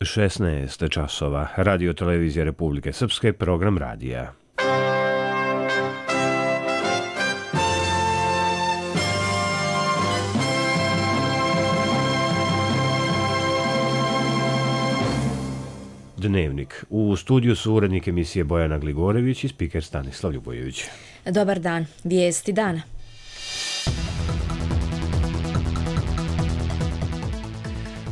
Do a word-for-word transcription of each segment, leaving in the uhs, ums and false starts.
šesnaest časova. Radio televizija Republike Srpske, program radija. Dnevnik. U studiju su urednik emisije Bojana Gligorević i spiker Stanislav Ljubojević. Dobar dan. Vijesti dana.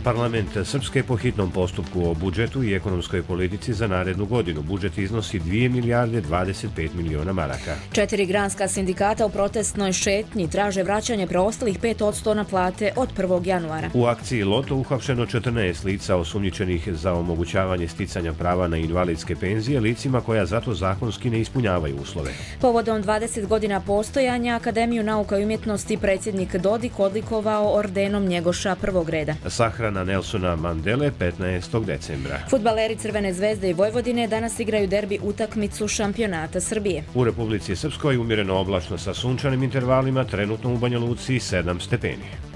Parlament Srpske po hitnom postupku o budžetu i ekonomskoj politici za narednu godinu. Budžet iznosi dvije milijarde dvadeset pet miliona maraka. Četiri granska sindikata u protestnoj šetnji traže vraćanje preostalih pet odsto na plate od prvog januara. U akciji Loto uhapšeno četrnaest lica osumnjičenih za omogućavanje sticanja prava na invalidske penzije licima koja zato zakonski ne ispunjavaju uslove. Povodom dvadeset godina postojanja Akademiju nauka i umjetnosti predsjednik Dodik odlikovao ordenom Njegoša prvog reda. Sahrana na Nelsona Mandele petnaestog decembra. Fudbaleri Crvene zvezde i Vojvodine danas igraju derbi utakmicu šampionata Srbije. U Republici Srpskoj umjereno oblačno sa sunčanim intervalima, trenutno u Banja Luci sedam stepeni.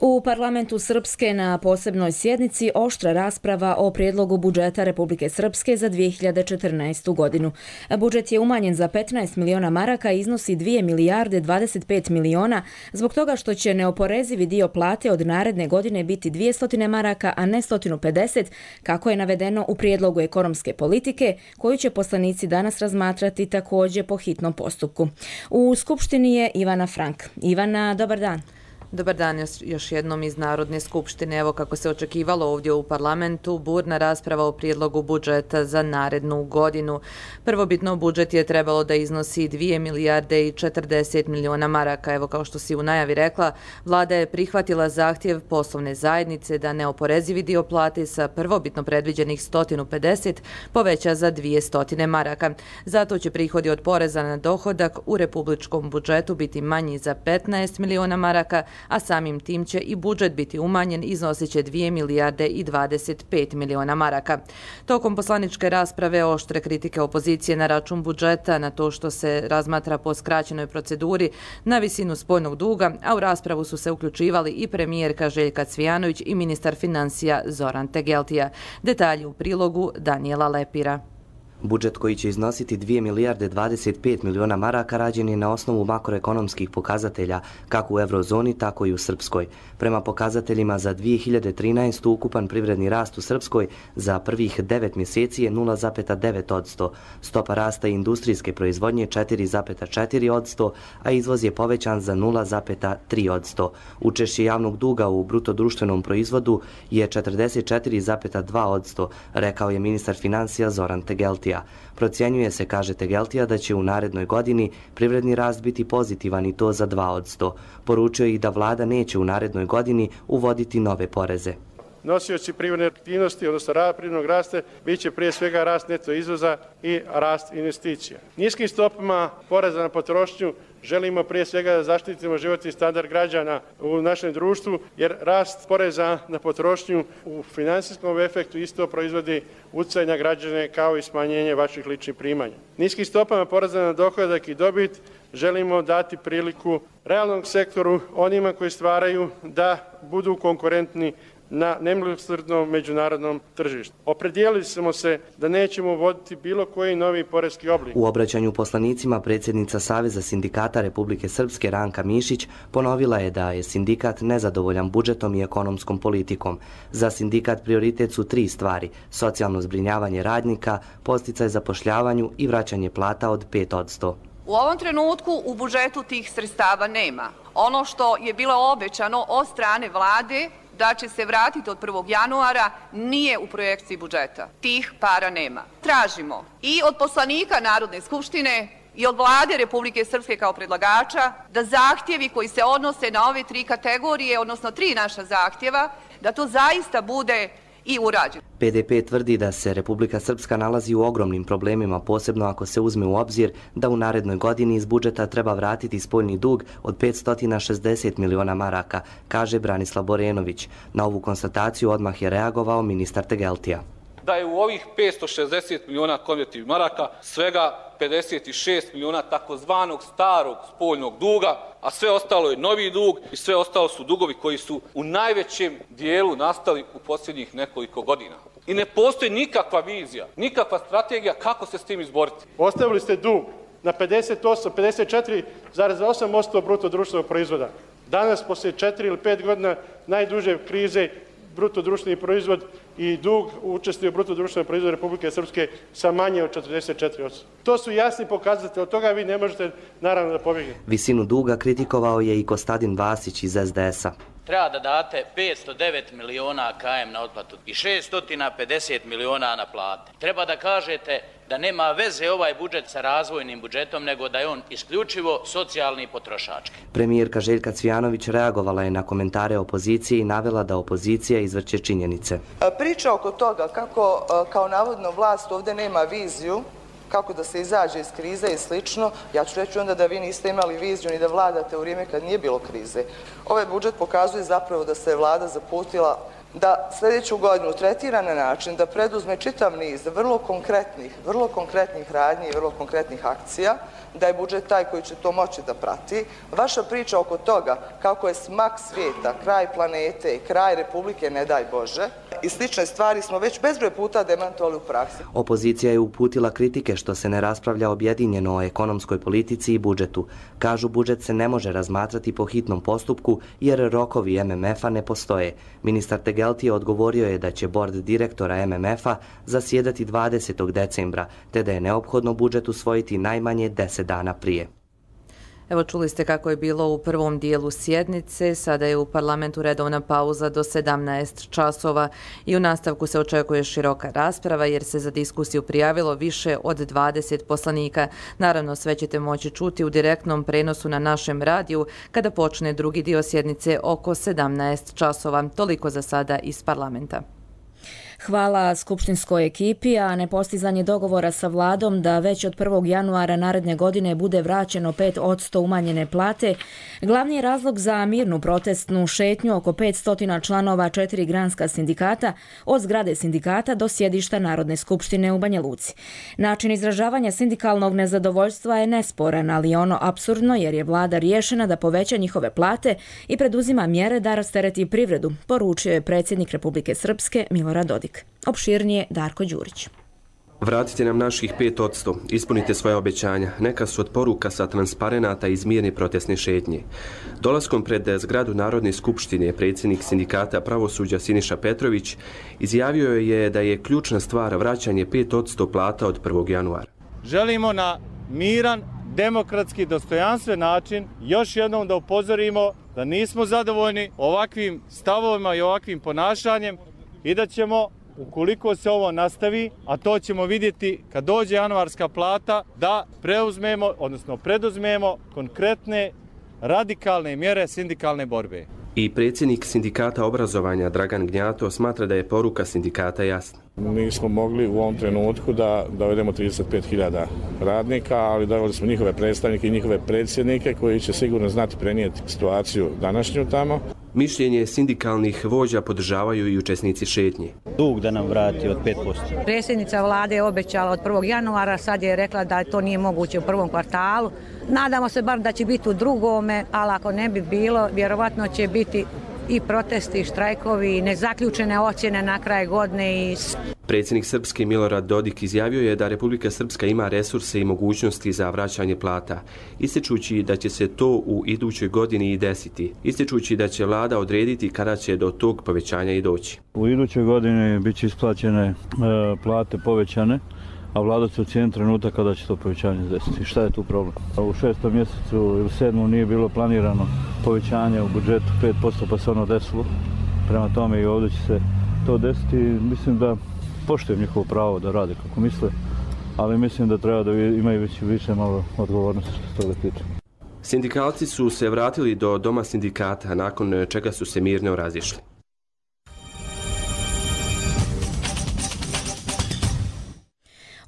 U parlamentu Srpske na posebnoj sjednici oštra rasprava o prijedlogu budžeta Republike Srpske za dvije hiljade četrnaestu godinu. Budžet je umanjen za petnaest miliona maraka i iznosi dvije milijarde dvadeset pet miliona zbog toga što će neoporezivi dio plate od naredne godine biti dvjesto maraka, a ne sto pedeset, kako je navedeno u prijedlogu ekonomske politike, koju će poslanici danas razmatrati također po hitnom postupku. U Skupštini je Ivana Frank. Ivana, dobar dan. Dobar dan još jednom iz Narodne skupštine. Evo kako se očekivalo ovdje u parlamentu, burna rasprava o prijedlogu budžeta za narednu godinu. Prvobitno budžet je trebalo da iznosi dvije milijarde i četrdeset miliona maraka. Evo kao što si u najavi rekla, vlada je prihvatila zahtjev poslovne zajednice da neoporezivi dio plate sa prvobitno predviđenih sto pedeset poveća za dvjesto maraka. Zato će prihodi od poreza na dohodak u republičkom budžetu biti manji za petnaest miliona maraka, a samim tim će i budžet biti umanjen, iznosit će dvije milijarde i dvadeset pet miliona maraka. Tokom poslaničke rasprave oštre kritike opozicije na račun budžeta, na to što se razmatra po skraćenoj proceduri, na visinu spoljnog duga, a u raspravu su se uključivali i premijerka Željka Cvijanović i ministar financija Zoran Tegeltija. Detalji u prilogu Danijela Lepira. Budžet koji će iznositi dvije milijarde dvadeset pet miliona maraka rađen je na osnovu makroekonomskih pokazatelja, kako u eurozoni, tako i u Srpskoj. Prema pokazateljima za dvije hiljade trinaestu ukupan privredni rast u Srpskoj za prvih devet mjeseci je nula zarez devet odsto, stopa rasta industrijske proizvodnje četiri zarez četiri odsto, a izvoz je povećan za nula zarez tri odsto. Učešće javnog duga u bruto društvenom proizvodu je četrdeset četiri zarez dva odsto, rekao je ministar financija Zoran Tegeltija. Procjenjuje se, kaže Tegeltija, da će u narednoj godini privredni rast biti pozitivan i to za dva odsto. Poručio je i da vlada neće u narednoj godini uvoditi nove poreze. Nosioci privredne aktivnosti, odnosno privrednog rasta, bit će prije svega rast neto izvoza i rast investicija. Niskim stopama poreza na potrošnju želimo prije svega da zaštitimo životni standard građana u našem društvu, jer rast poreza na potrošnju u finansijskom efektu isto proizvodi utjecaj na građane kao i smanjenje vaših ličnih primanja. Niskim stopama poreza na dohodak i dobit želimo dati priliku realnom sektoru, onima koji stvaraju, da budu konkurentni na nemilosrdnom međunarodnom tržištu. Opredijelili smo se da nećemo uvoditi bilo koji novi poreski oblik. U obraćanju poslanicima predsjednica Saveza sindikata Republike Srpske Ranka Mišić ponovila je da je sindikat nezadovoljan budžetom i ekonomskom politikom. Za sindikat prioritet su tri stvari: socijalno zbrinjavanje radnika, podsticaj zapošljavanju i vraćanje plata od pet odsto. U ovom trenutku u budžetu tih sredstava nema. Ono što je bilo obećano od strane vlade da će se vratiti od prvog januara nije u projekciji budžeta. Tih para nema. Tražimo i od poslanika Narodne skupštine i od vlade Republike Srpske kao predlagača da zahtjevi koji se odnose na ove tri kategorije, odnosno tri naša zahtjeva, da to zaista bude i urađeno. P D P tvrdi da se Republika Srpska nalazi u ogromnim problemima, posebno ako se uzme u obzir da u narednoj godini iz budžeta treba vratiti spoljni dug od petsto šezdeset miliona maraka, kaže Branislav Borenović. Na ovu konstataciju odmah je reagovao ministar Tegeltija. da je u ovih petsto šezdeset miliona konvertibilnih maraka svega pedeset šest miliona takozvanog starog spoljnog duga, a sve ostalo je novi dug i sve ostalo su dugovi koji su u najvećem dijelu nastali u posljednjih nekoliko godina. I ne postoji nikakva vizija, nikakva strategija kako se s tim izboriti. Ostavili ste dug na pedeset osam, pedeset četiri zarez osam posto bruto društvenog proizvoda. Danas, poslije četiri ili pet godina najduže krize, bruto društveni proizvod i dug učestvuje u bruto društvenom proizvodu Republike Srpske sa manje od četrdeset četiri posto. To su jasni pokazatelji, od toga vi ne možete naravno da pobjegnete. Visinu duga kritikovao je i Kostadin Vasić iz es de es-a. Treba da date petsto devet miliona K M na otplatu i šesto pedeset miliona na plate. Treba da kažete da nema veze ovaj budžet sa razvojnim budžetom, nego da je on isključivo socijalni i potrošački. Premijerka Željka Cvijanović reagovala je na komentare opozicije i navela da opozicija izvrće činjenice. Priča oko toga kako kao navodno vlast ovdje nema viziju, kako da se izađe iz krize i slično, ja ću reći onda da vi niste imali viziju ni da vladate u vrijeme kad nije bilo krize. Ovaj budžet pokazuje zapravo da se je vlada zaputila da sljedeću godinu tretira na način da preduzme čitav niz vrlo konkretnih, vrlo konkretnih radnji i vrlo konkretnih akcija, da je budžet taj koji će to moći da prati. Vaša priča oko toga kako je smak svijeta, kraj planete, kraj Republike, ne daj Bože, i slične stvari smo već bezbroj puta demantovali u praksi. Opozicija je uputila kritike što se ne raspravlja objedinjeno o ekonomskoj politici i budžetu. Kažu, budžet se ne može razmatrati po hitnom postupku jer rokovi em em ef-a ne postoje. Ministar Tegelti odgovorio je da će bord direktora em em ef-a zasjedati dvadesetog decembra, te da je neophodno budžet usvojiti najmanje deset dana prije. Evo, čuli ste kako je bilo u prvom dijelu sjednice, sada je u parlamentu redovna pauza do sedamnaest časova i u nastavku se očekuje široka rasprava jer se za diskusiju prijavilo više od dvadeset poslanika. Naravno, sve ćete moći čuti u direktnom prenosu na našem radiju kada počne drugi dio sjednice oko sedamnaest časova. Toliko za sada iz parlamenta. Hvala skupštinskoj ekipi, a nepostizanje dogovora sa vladom da već od prvog januara naredne godine bude vraćeno pet posto umanjene plate, glavni je razlog za mirnu protestnu šetnju oko petsto članova četiri granska sindikata od zgrade sindikata do sjedišta Narodne skupštine u Banja Luci. Način izražavanja sindikalnog nezadovoljstva je nesporan, ali je ono apsurdno jer je vlada riješena da poveća njihove plate i preduzima mjere da rastereti privredu, poručio je predsjednik Republike Srpske Milorad Dodik. Opširnije Darko Đurić. Vratite nam naših pet posto, ispunite svoje obećanja. Neka su od poruka sa transparenata iz mirne protestne šetnje. Dolaskom pred zgradu Narodne skupštine predsjednik sindikata pravosuđa Siniša Petrović izjavio je da je ključna stvar vraćanje pet posto plata od prvog januara. Želimo na miran, demokratski, dostojanstven način još jednom da upozorimo da nismo zadovoljni ovakvim stavovima i ovakvim ponašanjem i da ćemo, ukoliko se ovo nastavi, a to ćemo vidjeti kad dođe januarska plata, da preuzmemo, odnosno preduzmemo konkretne radikalne mjere sindikalne borbe. I predsjednik sindikata obrazovanja Dragan Gnjato smatra da je poruka sindikata jasna. Nismo mogli u ovom trenutku da dovedemo trideset pet hiljada radnika, ali doveli smo njihove predstavnike i njihove predsjednike koji će sigurno znati prenijeti situaciju današnju tamo. Mišljenje sindikalnih vođa podržavaju i učesnici šetnje. Dug da nam vrati od pet posto. Predsjednica vlade je obećala od prvog januara, sad je rekla da to nije moguće u prvom kvartalu. Nadamo se bar da će biti u drugome, ali ako ne bi bilo, vjerovatno će biti i protesti, i štrajkovi, i nezaključene ocjene na kraj godine. I... Predsjednik Srpske Milorad Dodik izjavio je da Republika Srpska ima resurse i mogućnosti za vraćanje plata, ističući da će se to u idućoj godini i desiti, ističući da će vlada odrediti kada će do tog povećanja i doći. U idućoj godini bit će isplaćene e, plate povećane, a vlada će ocijeniti trenutak kada će to povećanje desiti. Šta je tu problem? U šestom mjesecu ili sedmom nije bilo planirano povećanje u budžetu pet posto, pa se ono desilo. Prema tome i ovdje će se to desiti. Mislim da poštujem njihovo pravo da rade kako misle, ali mislim da treba da imaju već više malo odgovornosti što se toga tiče. Sindikalci su se vratili do doma sindikata, nakon čega su se mirno razišli.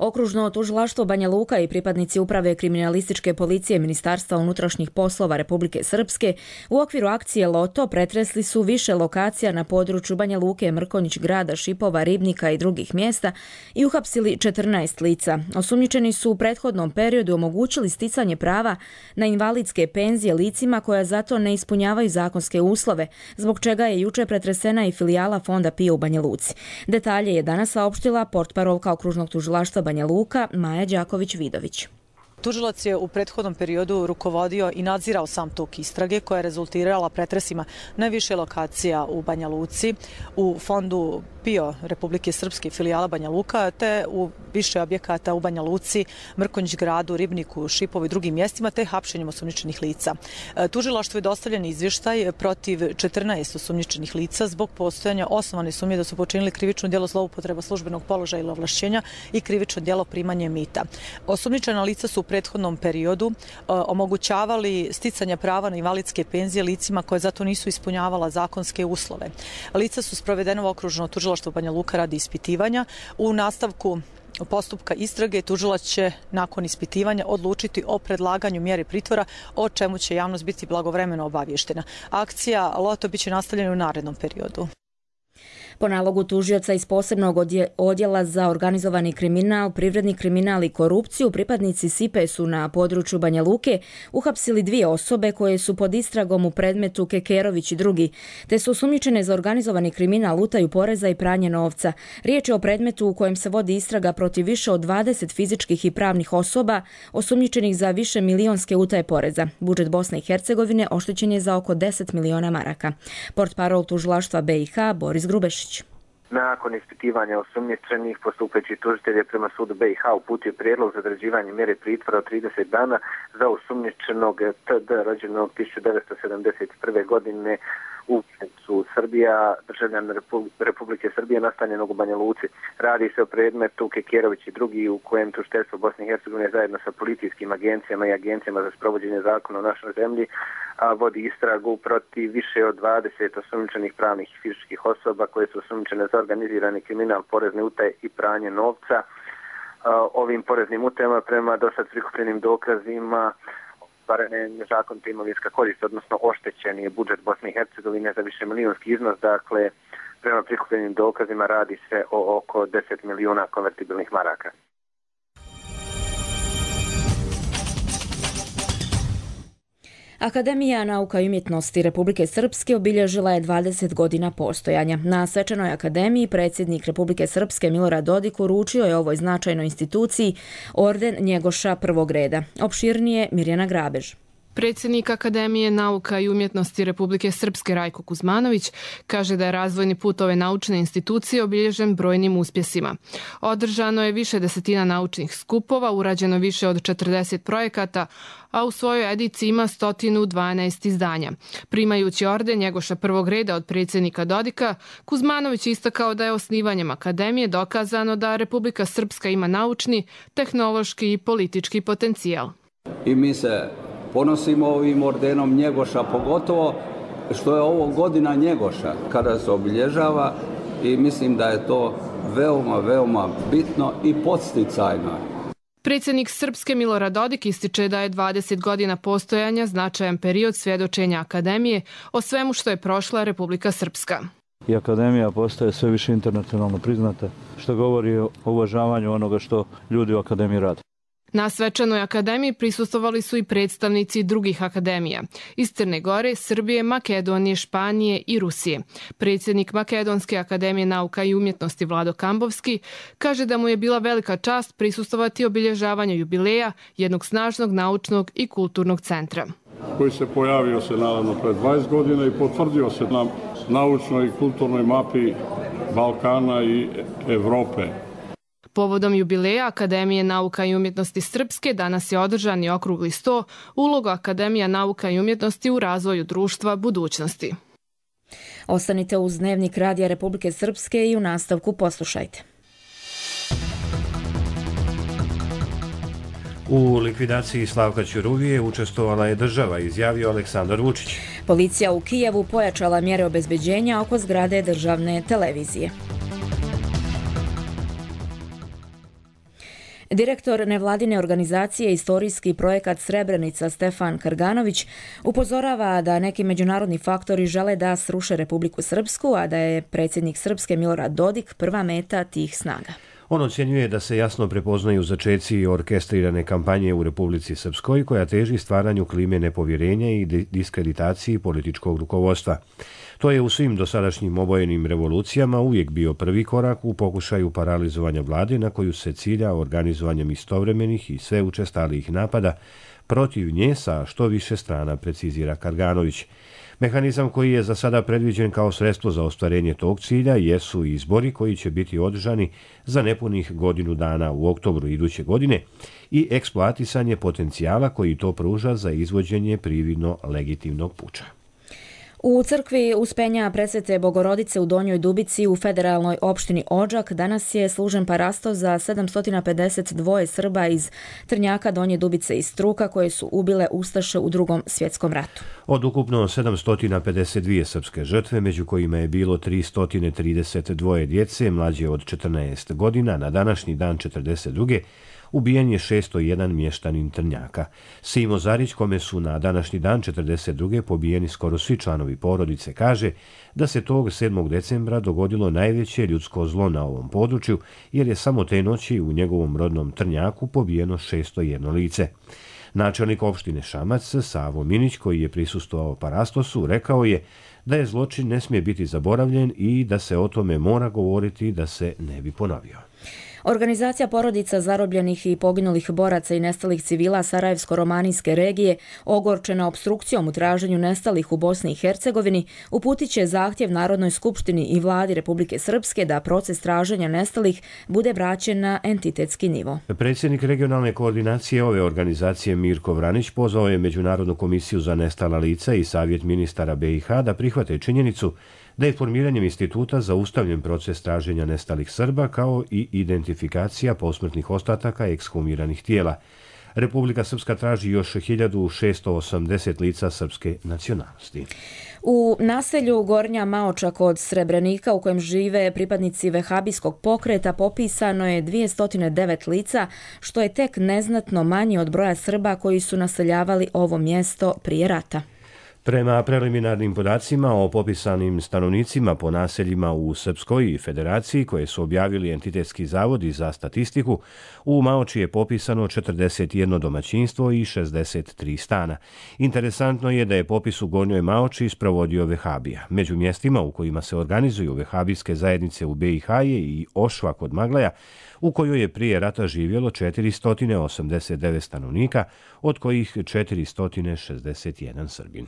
Okružno tužilaštvo Banja Luka i pripadnici uprave kriminalističke policije Ministarstva unutrašnjih poslova Republike Srpske u okviru akcije Loto pretresli su više lokacija na području Banja Luke, Mrkonjić grada, Šipova, Ribnika i drugih mjesta i uhapsili četrnaest lica. Osumnjičeni su u prethodnom periodu omogućili sticanje prava na invalidske penzije licima koja zato ne ispunjavaju zakonske uslove, zbog čega je juče pretresena i filijala Fonda PIO u Banja Luci. Detalje je danas saopštila portparolka Okružnog tužilaštva Banja Luka Maja Đaković-Vidović. Tužilac je u prethodnom periodu rukovodio i nadzirao sam tok istrage koja je rezultirala pretresima na više lokacija u Banja Luci, u fondu PIO Republike Srpske filijala Banja Luka, te u više objekata u Banja Luci, Mrkonjić gradu, Ribniku, Šipovu i drugim mjestima, te hapšenjem osumnjičenih lica. Tužilaštvu je dostavljen izvještaj protiv četrnaest osumnjičenih lica zbog postojanja osnovane sumnje da su počinili krivično djelo zloupotreba službenog položaja ili ovlašćenja i krivično djelo primanje mita. Osumnjičena lica su u prethodnom periodu omogućavali sticanje prava na invalidske penzije licima koje zato nisu ispunjavala zakonske uslove. Lica su sprovedena u okružno tužilaštvo Banja Luka radi ispitivanja. U nastavku postupka istrage tužilac će nakon ispitivanja odlučiti o predlaganju mjere pritvora, o čemu će javnost biti blagovremeno obavještena. Akcija Loto biće nastavljena u narednom periodu. Po nalogu tužioca iz posebnog odjela za organizovani kriminal, privredni kriminal i korupciju, pripadnici S I P E su na području Banja Luke uhapsili dvije osobe koje su pod istragom u predmetu Kekerović i drugi, te su osumnjičene za organizovani kriminal, utaju poreza i pranje novca. Riječ je o predmetu u kojem se vodi istraga protiv više od dvadeset fizičkih i pravnih osoba osumnjičenih za više milionske utaje poreza. Budžet Bosne i Hercegovine oštećen je za oko deset miliona maraka. Portparol tužilaštva B i H Boris Grubešić. Nakon ispitivanja osumnjičenih, postupajući tužitelj je prema sudu B i H uputio prijedlog za određivanje mjere pritvora od trideset dana za osumnjičenog T D rođenog tisuću devetsto sedamdeset prve. godine u Srbija, državljan Republike Srbije nastanjenog u Banja Luci. Radi se o predmetu Kekerović i drugi u kojem tužiteljstvo Bosne i Hercegovine zajedno sa policijskim agencijama i agencijama za sprovođenje zakona u našoj zemlji a, vodi istragu protiv više od dvadeset osumnjičenih pravnih i fizičkih osoba koje su osumnjičene za organizirani kriminal, porezne utaje i pranje novca. A, ovim poreznim utajama prema dosad prikupljenim dokazima ostvarene nezakonita imovinska korist, odnosno oštećen je budžet Bosne i Hercegovine za više milijonski iznos, dakle prema prikupljenim dokazima radi se o oko deset milijuna konvertibilnih maraka. Akademija nauka i umjetnosti Republike Srpske obilježila je dvadeset godina postojanja. Na svečanoj akademiji predsjednik Republike Srpske Milorad Dodik uručio je ovoj značajnoj instituciji orden Njegoša prvog reda. Opširnije Mirjana Grabež. Predsjednik Akademije nauka i umjetnosti Republike Srpske Rajko Kuzmanović kaže da je razvojni put ove naučne institucije obilježen brojnim uspjesima. Održano je više desetina naučnih skupova, urađeno više od četrdeset projekata, a u svojoj ediciji ima sto dvanaest izdanja. Primajući orden Njegoša prvog reda od predsjednika Dodika, Kuzmanović istakao da je osnivanjem Akademije dokazano da Republika Srpska ima naučni, tehnološki i politički potencijal. I mi se ponosimo ovim ordenom Njegoša, pogotovo što je ovo godina Njegoša kada se obilježava i mislim da je to veoma, veoma bitno i podsticajno. Predsjednik Srpske Milorad Dodik ističe da je dvadeset godina postojanja značajan period svjedočenja Akademije o svemu što je prošla Republika Srpska. I Akademija postaje sve više internacionalno priznata, što govori o uvažavanju onoga što ljudi u Akademiji rade. Na svečanoj akademiji prisustvovali su i predstavnici drugih akademija iz Crne Gore, Srbije, Makedonije, Španije i Rusije. Predsjednik Makedonske akademije nauka i umjetnosti Vlado Kambovski kaže da mu je bila velika čast prisustvovati obilježavanju jubileja jednog snažnog naučnog i kulturnog centra. Koji se pojavio se naravno pred dvadeset godina i potvrdio se na naučnoj i kulturnoj mapi Balkana i Evrope. Povodom jubileja Akademije nauka i umjetnosti Srpske danas je održan i okrugli sto uloga Akademija nauka i umjetnosti u razvoju društva budućnosti. Ostanite uz Dnevnik Radija Republike Srpske i u nastavku poslušajte. U likvidaciji Slavka Ćuruvije učestvovala je država, izjavio Aleksandar Vučić. Policija u Kijevu pojačala mjere obezbeđenja oko zgrade državne televizije. Direktor nevladine organizacije Istorijski projekat Srebrenica Stefan Karganović upozorava da neki međunarodni faktori žele da sruše Republiku Srpsku, a da je predsjednik Srpske Milorad Dodik prva meta tih snaga. On ocjenjuje da se jasno prepoznaju začeci orkestrirane kampanje u Republici Srpskoj koja teži stvaranju klime nepovjerenja i diskreditaciji političkog rukovodstva. To je u svim dosadašnjim obojenim revolucijama uvijek bio prvi korak u pokušaju paralizovanja vlade na koju se cilja organizovanjem istovremenih i sve učestalijih napada protiv nje sa što više strana, precizira Karganović. Mehanizam koji je za sada predviđen kao sredstvo za ostvarenje tog cilja jesu izbori koji će biti održani za nepunih godinu dana u oktobru iduće godine i eksploatisanje potencijala koji to pruža za izvođenje prividno legitimnog puča. U crkvi Uspenja Presvete Bogorodice u Donjoj Dubici u federalnoj opštini Odžak danas je služen parasto za sedamsto pedeset dva Srba iz Trnjaka, Donje Dubice i Struka koje su ubile ustaše u Drugom svjetskom ratu. Od ukupno sedamsto pedeset dvije srpske žrtve, među kojima je bilo tristo trideset dva djece mlađe od četrnaest godina, na današnji dan četrdeset druge ubijen je šesto jedan mještanin Trnjaka. Simo Zarić, kome su na današnji dan četrdeset druge pobijeni skoro svi članovi porodice, kaže da se tog sedmog decembra dogodilo najveće ljudsko zlo na ovom području, jer je samo te noći u njegovom rodnom Trnjaku pobijeno šesto jedno lice. Načelnik opštine Šamac, Savo Minić, koji je prisustvovao parastosu, rekao je da je zločin ne smije biti zaboravljen i da se o tome mora govoriti da se ne bi ponovio. Organizacija porodica zarobljenih i poginulih boraca i nestalih civila Sarajevsko-romanijske regije, ogorčena opstrukcijom u traženju nestalih u Bosni i Hercegovini, uputit će zahtjev Narodnoj skupštini i vladi Republike Srpske da proces traženja nestalih bude vraćen na entitetski nivo. Predsjednik regionalne koordinacije ove organizacije Mirko Vranić pozvao je Međunarodnu komisiju za nestala lica i Savjet ministara B i H da prihvate činjenicu da je formiranjem instituta zaustavljen proces traženja nestalih Srba kao i identifikacija posmrtnih ostataka ekshumiranih tijela. Republika Srpska traži još hiljadu šesto osamdeset lica srpske nacionalnosti. U naselju Gornja Maoča kod Srebrenika, u kojem žive pripadnici vehabijskog pokreta, popisano je dvjesto devet lica, što je tek neznatno manje od broja Srba koji su naseljavali ovo mjesto prije rata. Prema preliminarnim podacima o popisanim stanovnicima po naseljima u Srpskoj federaciji koje su objavili Entitetski zavodi za statistiku, u Maoči je popisano četrdeset jedno domaćinstvo i šezdeset tri stana. Interesantno je da je popis u Gornjoj Maoči sprovodio Vehabija. Među mjestima u kojima se organizuju vehabijske zajednice u B i H je i Ošva kod Maglaja, u kojoj je prije rata živjelo četiristo osamdeset devet stanovnika, od kojih četiristo šezdeset jedan Srbin.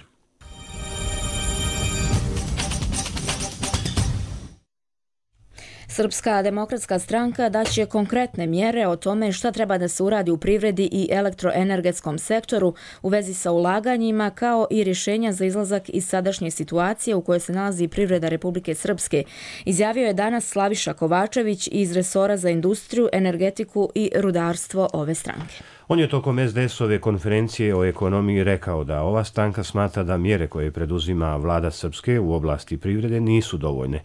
Srpska demokratska stranka daće konkretne mjere o tome šta treba da se uradi u privredi i elektroenergetskom sektoru u vezi sa ulaganjima, kao i rješenja za izlazak iz sadašnje situacije u kojoj se nalazi privreda Republike Srpske, izjavio je danas Slaviša Kovačević iz resora za industriju, energetiku i rudarstvo ove stranke. On je tokom es de es-ove konferencije o ekonomiji rekao da ova stranka smatra da mjere koje preduzima vlada Srpske u oblasti privrede nisu dovoljne,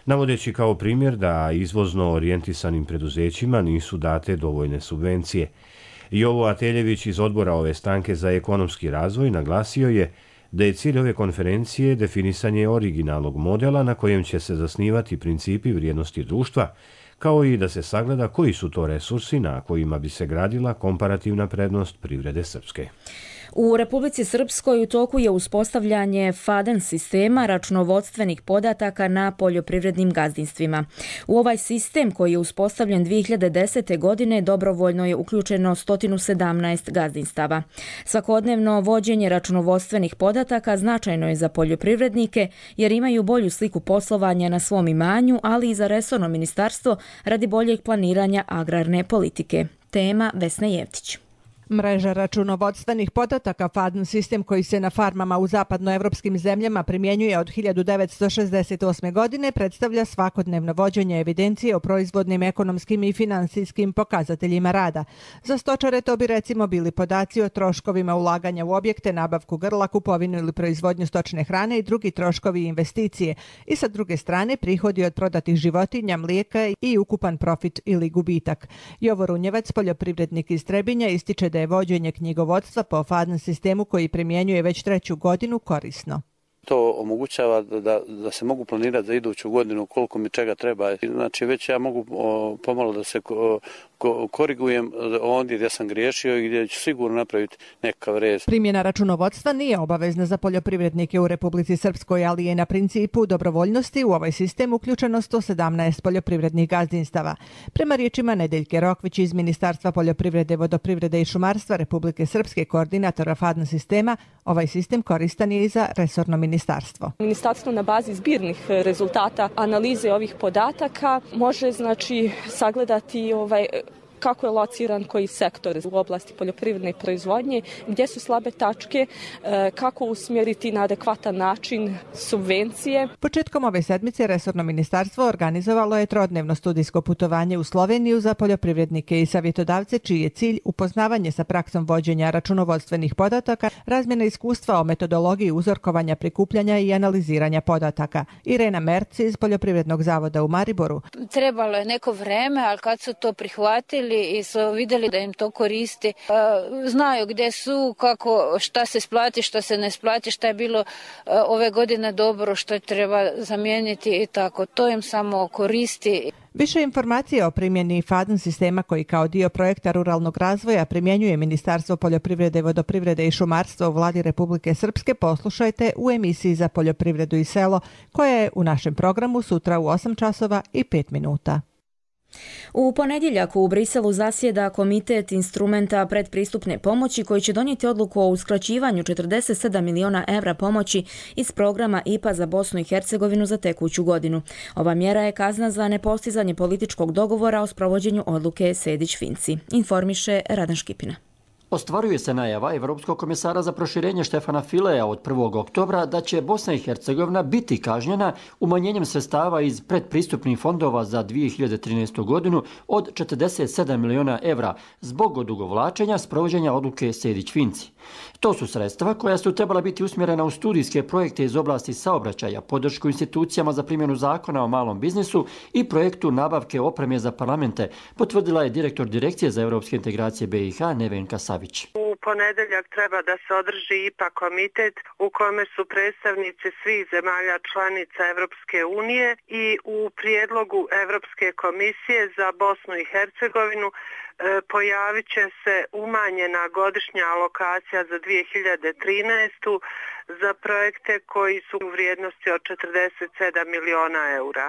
navodeći kao primjer da izvozno orijentisanim preduzećima nisu date dovoljne subvencije. Jovo Ateljević iz odbora ove stranke za ekonomski razvoj naglasio je da je cilj ove konferencije definisanje originalnog modela na kojem će se zasnivati principi vrijednosti društva, kao i da se sagleda koji su to resursi na kojima bi se gradila komparativna prednost privrede Srpske. U Republici Srpskoj u toku je uspostavljanje FADEN sistema računovodstvenih podataka na poljoprivrednim gazdinstvima. U ovaj sistem, koji je uspostavljen dvije hiljade desete. godine, dobrovoljno je uključeno sto sedamnaest gazdinstava. Svakodnevno vođenje računovodstvenih podataka značajno je za poljoprivrednike jer imaju bolju sliku poslovanja na svom imanju, ali i za resorno ministarstvo radi boljeg planiranja agrarne politike. Tema Vesna Jevtić. Mreža računovodstvenih podataka F A D N sistem koji se na farmama u zapadnoevropskim zemljama primjenjuje od hiljadu devetsto šezdeset osme. godine predstavlja svakodnevno vođenje evidencije o proizvodnim, ekonomskim i finansijskim pokazateljima rada. Za stočare to bi recimo bili podaci o troškovima ulaganja u objekte, nabavku grla, kupovinu ili proizvodnju stočne hrane i drugi troškovi i investicije. I sa druge strane prihodi od prodatih životinja, mlijeka i ukupan profit ili gubitak. Jovo Runjevac, poljoprivrednik iz Trebinja, ističe da je vođenje knjigovodstva po F A D N sistemu koji primjenjuje već treću godinu korisno. To omogućava da, da se mogu planirati za iduću godinu koliko mi čega treba. Znači već ja mogu o, pomalo da se ko, ko, korigujem ondje gdje sam griješio i gdje ću sigurno napraviti nekakav rez. Primjena računovodstva nije obavezna za poljoprivrednike u Republici Srpskoj, ali je na principu dobrovoljnosti u ovaj sistem uključeno sto sedamnaest poljoprivrednih gazdinstava. Prema riječima Nedeljke Rokvić iz Ministarstva poljoprivrede, vodoprivrede i šumarstva Republike Srpske, koordinatora F A D N sistema, ovaj sistem koristan je i za resorno ministarstvo. Ministarstvo. Ministarstvo na bazi zbirnih rezultata analize ovih podataka može znači sagledati ovaj kako je lociran koji sektor u oblasti poljoprivredne proizvodnje, gdje su slabe tačke, kako usmjeriti na adekvatan način subvencije. Početkom ove sedmice resorno ministarstvo organizovalo je trodnevno studijsko putovanje u Sloveniju za poljoprivrednike i savjetodavce, čiji je cilj upoznavanje sa praksom vođenja računovodstvenih podataka, razmjena iskustva o metodologiji uzorkovanja, prikupljanja i analiziranja podataka. Irena Merc iz Poljoprivrednog zavoda u Mariboru. Trebalo je neko vreme, ali kad su to prihvatili i su vidjeli da im to koristi, znaju gdje su, kako, šta se splati, šta se ne splati, šta je bilo ove godine dobro, što treba zamijeniti i tako. To im samo koristi. Više informacije o primjeni F A D N sistema koji kao dio projekta ruralnog razvoja primjenjuje Ministarstvo poljoprivrede, vodoprivrede i šumarstva u Vladi Republike Srpske poslušajte u emisiji za poljoprivredu i selo koja je u našem programu sutra u osam časova i pet minuta. U ponedjeljak u Briselu zasjeda Komitet instrumenta predpristupne pomoći koji će donijeti odluku o uskraćivanju četrdeset sedam miliona evra pomoći iz programa I P A za Bosnu i Hercegovinu za tekuću godinu. Ova mjera je kazna za nepostizanje političkog dogovora o sprovođenju odluke Sejdić-Finci, informiše Radan Škipina. Ostvaruje se najava Evropskog komisara za proširenje Štefana Fileja od prvog oktobra da će Bosna i Hercegovina biti kažnjena umanjenjem sredstava iz predpristupnih fondova za dvije hiljade trinaestu. godinu od četrdeset sedam miliona evra zbog odugovlačenja sprovođenja odluke Sejdić-Finci. To su sredstva koja su trebala biti usmjerena u studijske projekte iz oblasti saobraćaja, podršku institucijama za primjenu zakona o malom biznisu i projektu nabavke opreme za parlamente, potvrdila je direktor Direkcije za europske integracije B i H Nevenka Savić. U ponedeljak treba da se održi I P A komitet u kome su predstavnici svih zemalja članica Evropske unije i u prijedlogu Evropske komisije za Bosnu i Hercegovinu pojavit će se umanjena godišnja alokacija za dvije hiljade trinaestu. za projekte koji su u vrijednosti od četrdeset sedam miliona eura.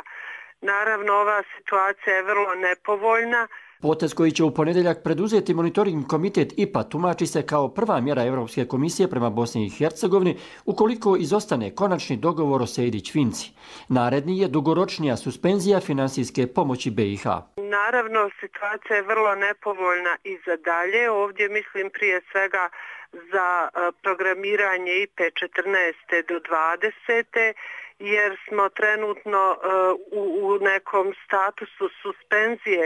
Naravno, ova situacija je vrlo nepovoljna. Potez koji će u ponedjeljak preduzeti monitoring komitet I P A tumači se kao prva mjera Europske komisije prema Bosni i Hercegovini ukoliko izostane konačni dogovor o Sejdić-Finci. Naredni je dugoročnija suspenzija finansijske pomoći B i H. Naravno, situacija je vrlo nepovoljna i za dalje. Ovdje mislim prije svega za programiranje I P četrnaest do dvadesete jer smo trenutno u, u nekom statusu suspenzije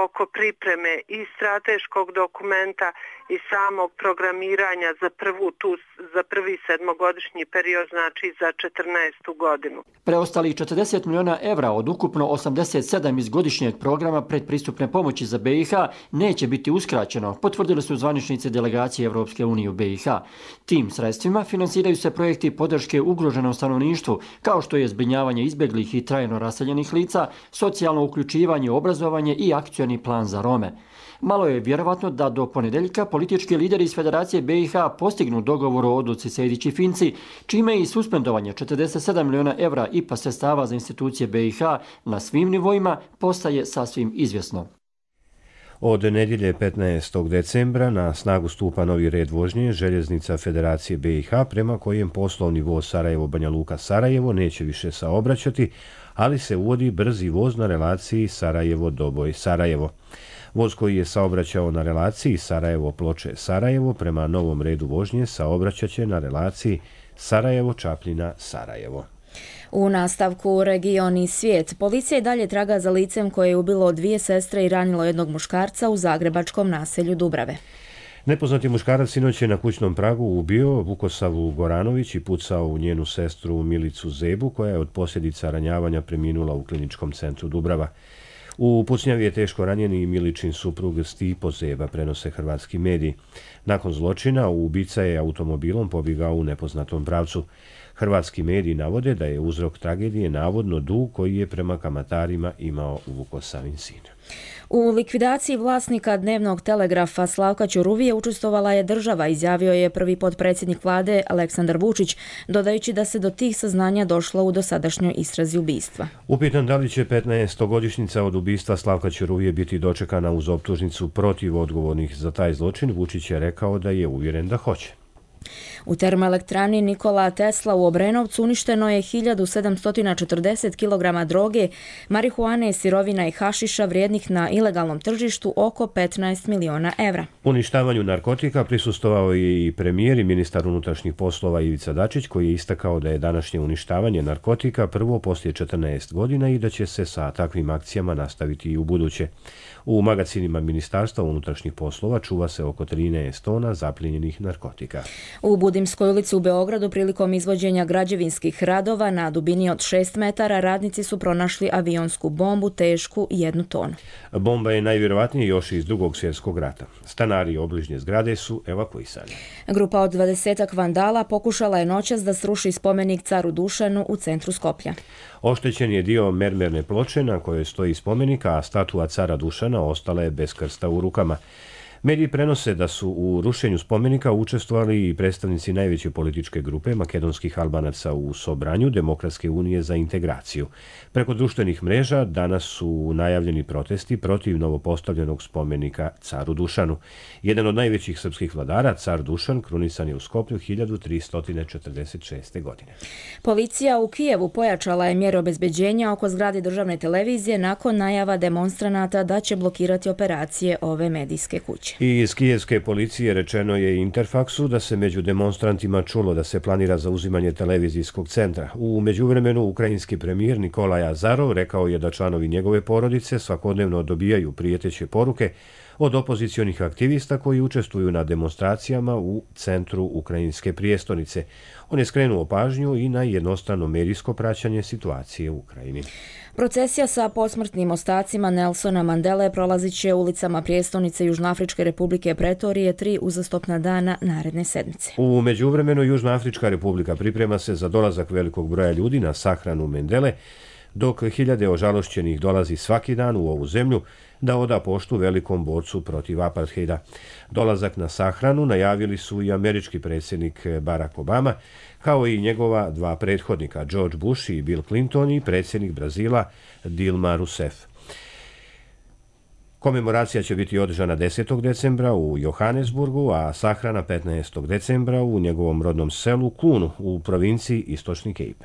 oko pripreme i strateškog dokumenta i samog programiranja za prvu tu, za prvi sedmogodišnji period, znači za četrnaestu godinu. Preostalih četrdeset miliona evra od ukupno osamdeset sedam iz godišnjeg programa predpristupne pomoći za B i H neće biti uskraćeno, potvrdili su zvaničnici delegacije Evropske unije u B i H. Tim sredstvima finansiraju se projekti podrške ugroženom stanovništvu, kao što je zbrinjavanje izbjeglih i trajno raseljenih lica, socijalno uključivanje, obrazovanje i akcioni plan za Rome. Malo je vjerovatno da do ponedeljka politički lideri iz Federacije B i H postignu dogovor o odluci Sejdić-Finci, čime i suspendovanje četrdeset sedam miliona evra I P A sredstava za institucije B i H na svim nivoima postaje sasvim izvjesno. Od nedjelje petnaestog decembra na snagu stupa novi red vožnje željeznica Federacije B i H prema kojem poslovni voz Sarajevo-Banja Luka-Sarajevo neće više saobraćati, ali se uvodi brzi voz na relaciji Sarajevo-Doboj-Sarajevo. Voz koji je saobraćao na relaciji Sarajevo-Ploče-Sarajevo prema novom redu vožnje saobraćaće na relaciji Sarajevo-Čapljina-Sarajevo. U nastavku region i svijet, policija i dalje traga za licem koje je ubilo dvije sestre i ranilo jednog muškarca u zagrebačkom naselju Dubrave. Nepoznati muškarac sinoć je na kućnom pragu ubio Vukosavu Goranović i pucao u njenu sestru Milicu Zebu, koja je od posljedica ranjavanja preminula u kliničkom centru Dubrava. U pucnjavi je teško ranjeni i Miličin suprug Stipo Zeba, prenose hrvatski mediji. Nakon zločina, ubica je automobilom pobjegao u nepoznatom pravcu. Hrvatski mediji navode da je uzrok tragedije navodno dug koji je prema kamatarima imao Vukosavin sin. U likvidaciji vlasnika dnevnog telegrafa Slavka Ćuruvije učestvovala je država, izjavio je prvi potpredsjednik vlade Aleksandar Vučić, dodajući da se do tih saznanja došlo u dosadašnjoj istrazi ubistva. Upitan da li će petnaestogodišnjica od ubistva Slavka Ćuruvije biti dočekana uz optužnicu protiv odgovornih za taj zločin, Vučić je rekao da je uvjeren da hoće. U termoelektrani Nikola Tesla u Obrenovcu uništeno je hiljadu sedamsto četrdeset kilograma droge, marihuane, sirovina i hašiša vrijednih na ilegalnom tržištu oko petnaest miliona evra. Uništavanju narkotika prisustvovao je i premijer i ministar unutrašnjih poslova Ivica Dačić, koji je istakao da je današnje uništavanje narkotika prvo poslije četrnaest godina i da će se sa takvim akcijama nastaviti i u buduće. U magacinima Ministarstva unutrašnjih poslova čuva se oko trinaest tona zaplijenjenih narkotika. U Budimskoj ulici u Beogradu prilikom izvođenja građevinskih radova na dubini od šest metara radnici su pronašli avionsku bombu tešku jednu tonu. Bomba je najvjerovatnije još iz Drugog svjetskog rata. Stanari obližnje zgrade su evakuisani. Grupa od dvadesetak vandala pokušala je noćas da sruši spomenik caru Dušanu u centru Skoplja. Oštećen je dio mermerne ploče na kojoj stoji spomenika, a statua cara Dušana ostala je bez krsta u rukama. Mediji prenose da su u rušenju spomenika učestvovali i predstavnici najveće političke grupe makedonskih Albanaca u Sobranju Demokratske unije za integraciju. Preko društvenih mreža danas su najavljeni protesti protiv novopostavljenog spomenika caru Dušanu. Jedan od najvećih srpskih vladara, car Dušan, krunisan je u Skoplju hiljadu tristo četrdeset šeste. godine. Policija u Kijevu pojačala je mjere obezbeđenja oko zgrade državne televizije nakon najava demonstranata da će blokirati operacije ove medijske kuće. I iz kijevske policije rečeno je Interfaksu da se među demonstrantima čulo da se planira zauzimanje televizijskog centra. U međuvremenu ukrajinski premijer Nikolaj Azarov rekao je da članovi njegove porodice svakodnevno dobijaju prijeteće poruke od opozicionih aktivista koji učestvuju na demonstracijama u centru ukrajinske prijestolnice. On je skrenuo pažnju i na jednostrano medijsko praćanje situacije u Ukrajini. Procesija sa posmrtnim ostacima Nelsona Mandele prolazit će ulicama prijestolnice Južnoafričke republike Pretorije tri uzastopna dana naredne sedmice. U međuvremenu Južnoafrička republika priprema se za dolazak velikog broja ljudi na sahranu Mandele, dok hiljade ožalošćenih dolazi svaki dan u ovu zemlju da oda poštu velikom borcu protiv apartheida. Dolazak na sahranu najavili su i američki predsjednik Barack Obama, kao i njegova dva prethodnika, George Bush i Bill Clinton, i predsjednik Brazila Dilma Rousseff. Komemoracija će biti održana desetog decembra u Johannesburgu, a sahrana petnaestog decembra u njegovom rodnom selu Klunu u provinciji Istočni Kejp.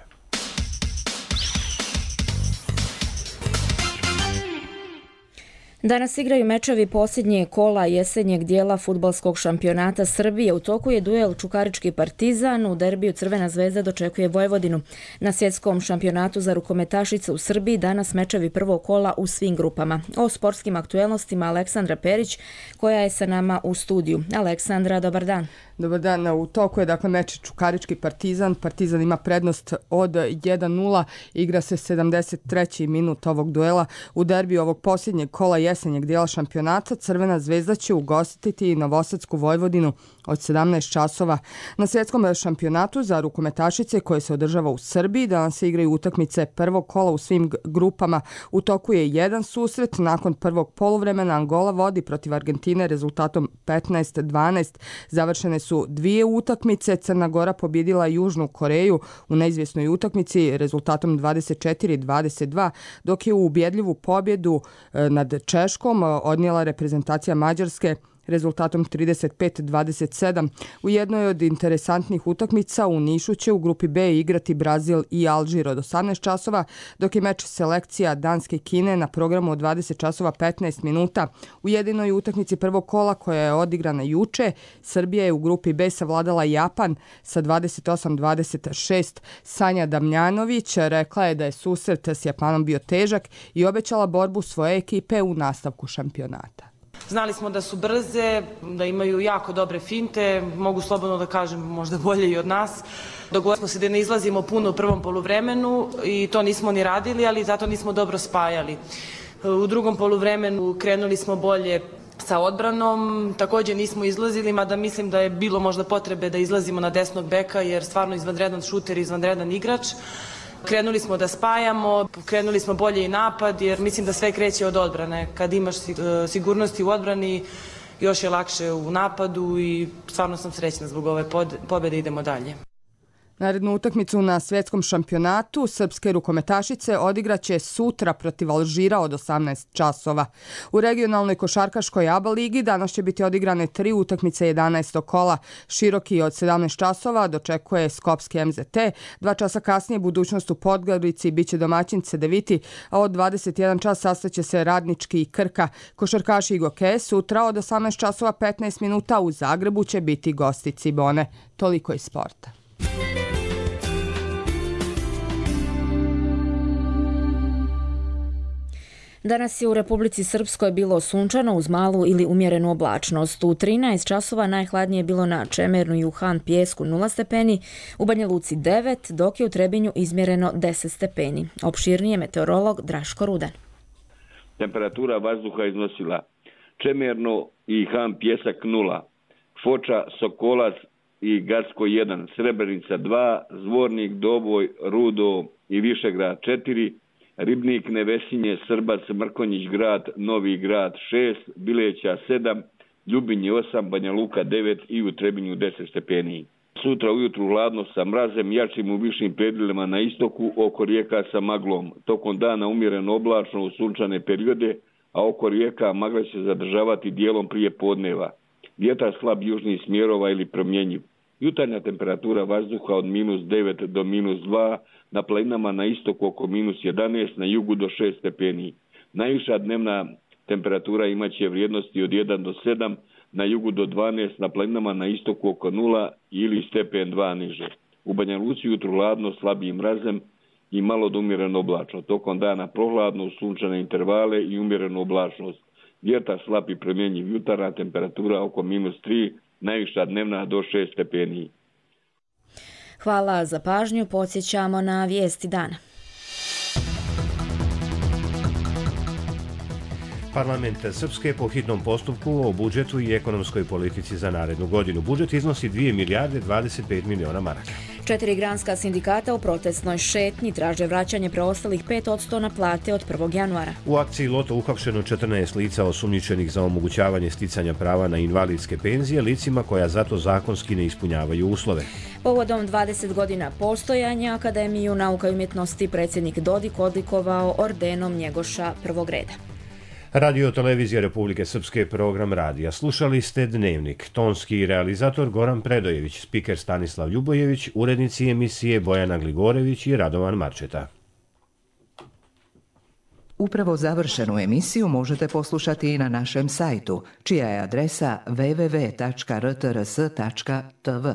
Danas igraju mečevi posljednje kola jesenjeg dijela fudbalskog šampionata Srbije. U toku je duel Čukarički Partizan, u derbiju Crvena zvezda dočekuje Vojvodinu. Na svjetskom šampionatu za rukometašice u Srbiji danas mečevi prvog kola u svim grupama. O sportskim aktuelnostima Aleksandra Perić, koja je sa nama u studiju. Aleksandra, dobar dan. Dobar dan, u toku je dakle meč Čukarički Partizan. Partizan ima prednost od jedan nula, igra se sedamdeset treći minut ovog duela. U derbiju ovog posljednjeg kola jesenjeg dijela šampionata Crvena zvezda će ugostiti Novosadsku Vojvodinu od sedamnaest časova. Na svjetskom šampionatu za rukometašice koje se održava u Srbiji danas se igraju utakmice prvog kola u svim grupama. U toku je jedan susret. Nakon prvog poluvremena Angola vodi protiv Argentine rezultatom petnaest dvanaest. Završene su dvije utakmice. Crna Gora pobjedila Južnu Koreju u neizvjesnoj utakmici rezultatom dvadeset četiri dvadeset dva, dok je u ubjedljivu pobjedu nad Češkom odnijela reprezentacija Mađarske rezultatom trideset pet dvadeset sedam. U jednoj od interesantnih utakmica u Nišu će u grupi B igrati Brazil i Alžir od osamnaest časova, dok je meč selekcija Danske i Kine na programu od dvadeset časova petnaest minuta. U jedinoj utakmici prvog kola koja je odigrana juče, Srbija je u grupi B savladala Japan sa dvadeset osam dvadeset šest. Sanja Damljanović rekla je da je susret s Japanom bio težak i obećala borbu svoje ekipe u nastavku šampionata. Znali smo da su brze, da imaju jako dobre finte, mogu slobodno da kažem možda bolje i od nas. Dogovorili smo se da ne izlazimo puno u prvom poluvremenu i to nismo ni radili, ali zato nismo dobro spajali. U drugom poluvremenu krenuli smo bolje sa odbranom, također nismo izlazili, mada mislim da je bilo možda potrebe da izlazimo na desnog beka jer stvarno izvanredan šuter i izvanredan igrač. Krenuli smo da spajamo, krenuli smo bolje i napad jer mislim da sve kreće od odbrane. Kad imaš sigurnosti u odbrani, još je lakše u napadu i stvarno sam srećna zbog ove pobjede, idemo dalje. Narednu utakmicu na svjetskom šampionatu srpske rukometašice odigraće sutra protiv Alžira od osamnaest časova. U regionalnoj košarkaškoj A B A ligi danas će biti odigrane tri utakmice jedanaestog kola. Široki od sedamnaest časova dočekuje Skopski M Z T, dva časa kasnije Budućnost u Podgorici biće domaćin Cedeviti, a od dvadeset jedan čas sastaće se Radnički i Krka. Košarkaši i Goke sutra od osamnaest časova petnaest minuta u Zagrebu će biti gosti Cibone. Toliko iz sporta. Danas je u Republici Srpskoj bilo sunčano uz malu ili umjerenu oblačnost. U trinaest časova najhladnije je bilo na Čemernu i u Han Pijesku nula stepeni, u Banja Luci devet, dok je u Trebinju izmjereno deset stepeni. Opširnije meteorolog Draško Rudan. Temperatura vazduha iznosila Čemerno i Han Pijesak nula, Foča, Sokolac i Gacko jedan, Srebrenica dva, Zvornik, Doboj, Rudo i Višegrad četiri, Ribnik, Nevesinje, Srbac, Mrkonjić grad, Novi grad šest, Bileća sedam, Ljubinje osam, Banja Luka devet i u Trebinju deset stepeni. Sutra ujutru hladno sa mrazem, jačim u višim predjelima na istoku, oko rijeka sa maglom. Tokom dana umjereno oblačno u sunčane periode, a oko rijeka magla će zadržavati dijelom prije podneva. Vjetar slab južnih smjerova ili promjenjiv. Jutarnja temperatura vazduha od minus devet do minus dva, na planinama na istoku oko minus jedanaest, na jugu do šest stepeni. Najviša dnevna temperatura imaće vrijednosti od jedan do sedam, na jugu do dvanaest, na planinama na istoku oko nula ili stepen dva niže. U Banja Luci jutru hladno, slabijim mrazem i malo do umjereno oblačno. Tokom dana prohladno uz sunčane intervale i umjerenu oblačnost. Vjetar slab i promjenjiv, jutarnja temperatura oko minus tri, najviša dnevna do šest stepeni. Hvala za pažnju, podsjećamo na vijesti dana. Parlament Srpske po hitnom postupku o budžetu i ekonomskoj politici za narednu godinu. Budžet iznosi dvije milijarde dvadeset pet miliona maraka. Četiri granska sindikata u protestnoj šetnji traže vraćanje preostalih pet odsto na plate od prvog januara. U akciji Loto uhapšeno četrnaest lica osumnjičenih za omogućavanje sticanja prava na invalidske penzije licima koja zato zakonski ne ispunjavaju uslove. Povodom dvadeset godina postojanja Akademiju nauka i umjetnosti predsjednik Dodik odlikovao ordenom Njegoša prvog reda. Radio Televizija Republike Srpske, program radija. Slušali ste Dnevnik. Tonski realizator Goran Predojević, spiker Stanislav Ljubojević, urednici emisije Bojana Gligorević i Radovan Marčeta. Upravo završenu emisiju možete poslušati i na našem sajtu, čija je adresa w w w tačka r t r s tačka t v.